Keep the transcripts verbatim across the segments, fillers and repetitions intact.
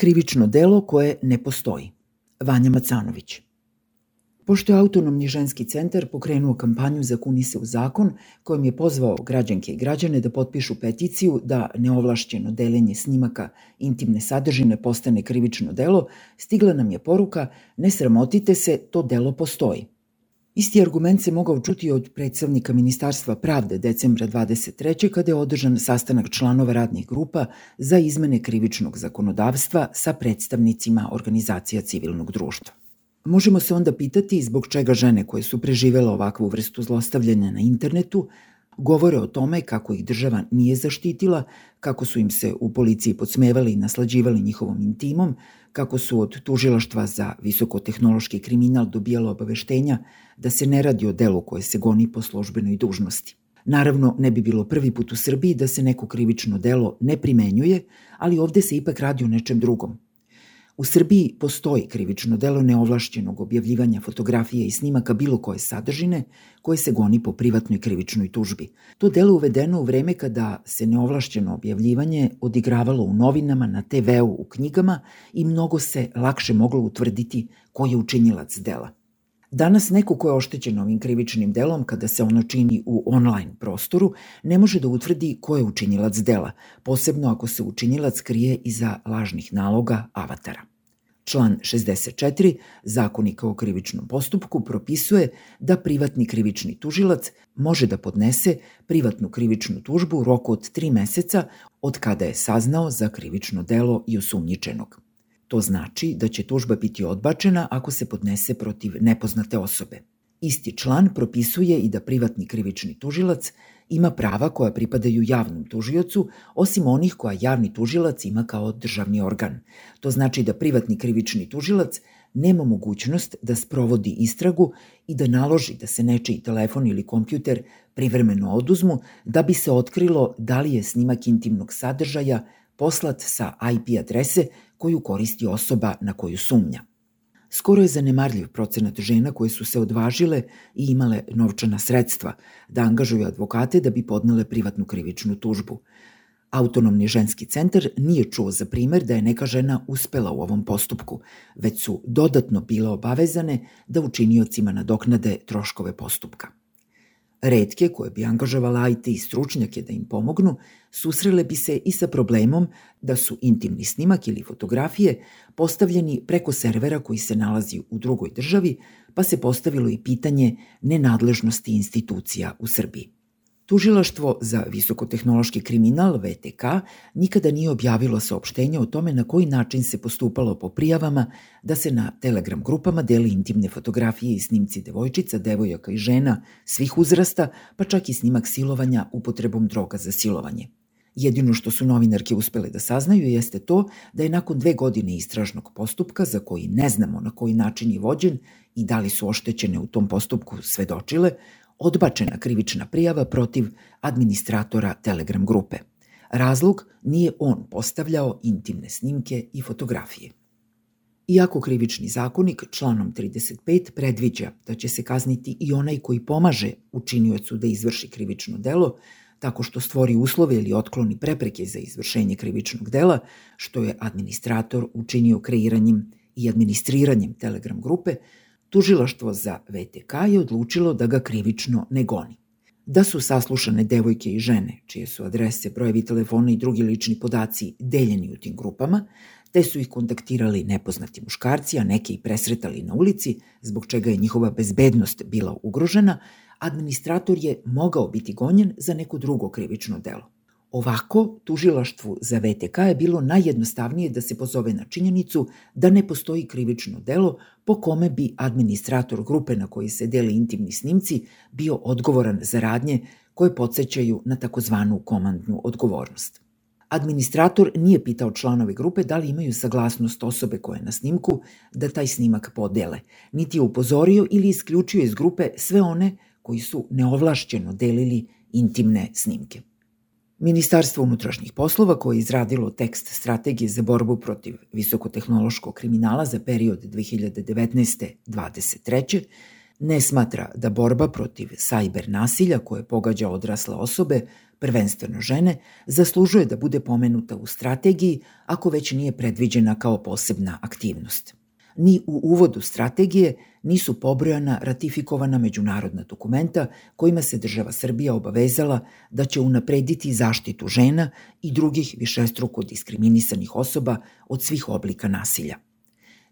Krivično delo koje ne postoji. Vanja Macanović. Pošto je Autonomni ženski centar pokrenuo kampanju za Kuni se u zakon, kojom je pozvao građanke i građane da potpišu peticiju da neovlašćeno deljenje snimaka intimne sadržine postane krivično delo, stigla nam je poruka: ne sramotite se, to delo postoji. Isti argument se mogao čuti od predstavnika Ministarstva pravde decembra dvadeset treće kada je održan sastanak članova radnih grupa za izmene krivičnog zakonodavstva sa predstavnicima organizacija civilnog društva. Možemo se onda pitati zbog čega žene koje su preživele ovakvu vrstu zlostavljanja na internetu govore o tome kako ih država nije zaštitila, kako su im se u policiji podsmevali i naslađivali njihovom intimom, kako su od tužilaštva za visokotehnološki kriminal dobijalo obaveštenja da se ne radi o delu koje se goni po službenoj dužnosti. Naravno, ne bi bilo prvi put u Srbiji da se neko krivično delo ne primenjuje, ali ovde se ipak radi o nečem drugom. U Srbiji postoji krivično delo neovlašćenog objavljivanja fotografije i snimaka bilo koje sadržine koje se goni po privatnoj krivičnoj tužbi. To delo je uvedeno u vreme kada se neovlašćeno objavljivanje odigravalo u novinama, na te veu, u knjigama i mnogo se lakše moglo utvrditi ko je učinilac dela. Danas neko ko je oštećen ovim krivičnim delom kada se ono čini u online prostoru ne može da utvrdi ko je učinilac dela, posebno ako se učinilac krije iza lažnih naloga avatara. Član šezdeset četiri Zakonika o krivičnom postupku propisuje da privatni krivični tužilac može da podnese privatnu krivičnu tužbu u roku od tri meseca od kada je saznao za krivično delo i osumnjičenog. To znači da će tužba biti odbačena ako se podnese protiv nepoznate osobe. Isti član propisuje i da privatni krivični tužilac ima prava koja pripadaju javnom tužiocu, osim onih koja javni tužilac ima kao državni organ. To znači da privatni krivični tužilac nema mogućnost da sprovodi istragu i da naloži da se nečiji telefon ili kompjuter privremeno oduzmu da bi se otkrilo da li je snimak intimnog sadržaja poslat sa I P adrese koju koristi osoba na koju sumnja. Skoro je zanemarljiv procenat žena koje su se odvažile i imale novčana sredstva da angažuju advokate da bi podnele privatnu krivičnu tužbu. Autonomni ženski centar nije čuo za primer da je neka žena uspela u ovom postupku, već su dodatno bile obavezane da učiniocima nadoknade troškove postupka. Retke, koje bi angažovala I T stručnjake da im pomognu, susrele bi se i sa problemom da su intimni snimak ili fotografije postavljeni preko servera koji se nalazi u drugoj državi, pa se postavilo i pitanje nenadležnosti institucija u Srbiji. Tužilaštvo za visokotehnološki kriminal V T K nikada nije objavilo saopštenje o tome na koji način se postupalo po prijavama da se na Telegram grupama deli intimne fotografije i snimci devojčica, devojaka i žena svih uzrasta, pa čak i snimak silovanja upotrebom droga za silovanje. Jedino što su novinarke uspele da saznaju jeste to da je nakon dve godine istražnog postupka, za koji ne znamo na koji način je vođen i da li su oštećene u tom postupku svedočile, odbačena krivična prijava protiv administratora Telegram grupe. Razlog: nije on postavljao intimne snimke i fotografije. Iako krivični zakonik članom trideset pet predviđa da će se kazniti i onaj koji pomaže učiniocu da izvrši krivično delo, tako što stvori uslove ili otkloni prepreke za izvršenje krivičnog dela, što je administrator učinio kreiranjem i administriranjem Telegram grupe, Tužilaštvo za V T K je odlučilo da ga krivično ne goni. Da su saslušane devojke i žene, čije su adrese, brojevi telefona i drugi lični podaci deljeni u tim grupama, te su ih kontaktirali nepoznati muškarci, a neke i presretali na ulici, zbog čega je njihova bezbednost bila ugrožena, administrator je mogao biti gonjen za neko drugo krivično delo. Ovako, tužilaštvu za V T K je bilo najjednostavnije da se pozove na činjenicu da ne postoji krivično delo po kome bi administrator grupe na koji se dele intimni snimci bio odgovoran za radnje koje podsećaju na takozvanu komandnu odgovornost. Administrator nije pitao članove grupe da li imaju saglasnost osobe koja je na snimku da taj snimak podele, niti je upozorio ili isključio iz grupe sve one koji su neovlašćeno delili intimne snimke. Ministarstvo unutrašnjih poslova, koje je izradilo tekst strategije za borbu protiv visokotehnološkog kriminala za period dve hiljade devetnaeste do dvadeset treće, ne smatra da borba protiv sajber nasilja koje pogađa odrasle osobe prvenstveno žene, zaslužuje da bude pomenuta u strategiji ako već nije predviđena kao posebna aktivnost. Ni u uvodu strategije nisu pobrojana ratifikovana međunarodna dokumenta kojima se država Srbija obavezala da će unaprediti zaštitu žena i drugih višestruko diskriminisanih osoba od svih oblika nasilja.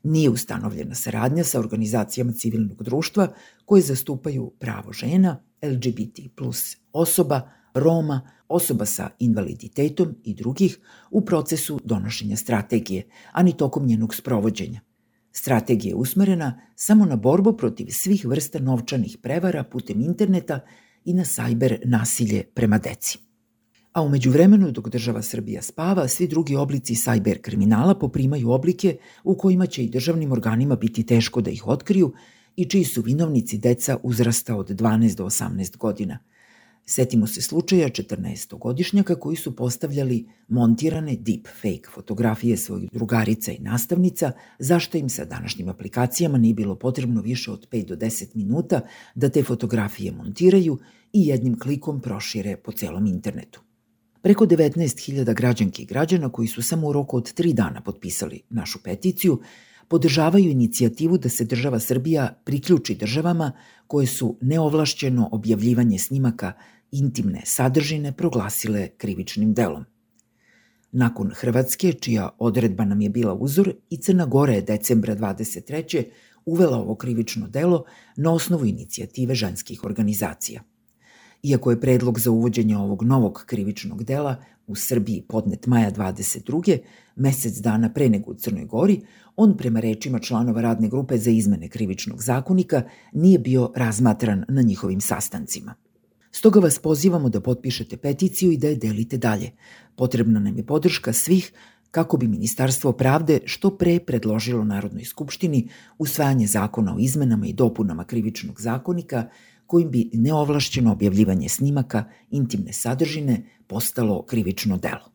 Nije ustanovljena saradnja sa organizacijama civilnog društva koje zastupaju pravo žena, L G B T plus osoba, Roma, osoba sa invaliditetom i drugih u procesu donošenja strategije, a ni tokom njenog sprovođenja. Strategija je usmerena samo na borbu protiv svih vrsta novčanih prevara putem interneta i na sajber nasilje prema deci. A u međuvremenu, dok država Srbija spava, svi drugi oblici sajber kriminala poprimaju oblike u kojima će i državnim organima biti teško da ih otkriju i čiji su vinovnici deca uzrasta od dvanaest do osamnaest godina. Setimo se slučaja četrnaestogodišnjaka koji su postavljali montirane deepfake fotografije svojih drugarica i nastavnica, zašto im sa današnjim aplikacijama nije bilo potrebno više od pet do deset minuta da te fotografije montiraju i jednim klikom prošire po celom internetu. Preko devetnaest hiljada građanki i građana koji su samo u roku od tri dana potpisali našu peticiju podržavaju inicijativu da se država Srbija priključi državama koje su neovlašćeno objavljivanje snimaka intimne sadržine proglasile krivičnim delom. Nakon Hrvatske, čija odredba nam je bila uzor, i Crna Gora je decembra dvadeset treće uvela ovo krivično delo na osnovu inicijative ženskih organizacija. Iako je predlog za uvođenje ovog novog krivičnog dela u Srbiji podnet maja dvadeset druge, mesec dana pre nego u Crnoj Gori, on prema rečima članova radne grupe za izmene krivičnog zakonika nije bio razmatran na njihovim sastancima. Stoga vas pozivamo da potpišete peticiju i da je delite dalje. Potrebna nam je podrška svih kako bi Ministarstvo pravde što pre predložilo Narodnoj skupštini usvajanje zakona o izmenama i dopunama krivičnog zakonika kojim bi neovlašćeno objavljivanje snimaka intimne sadržine postalo krivično delo.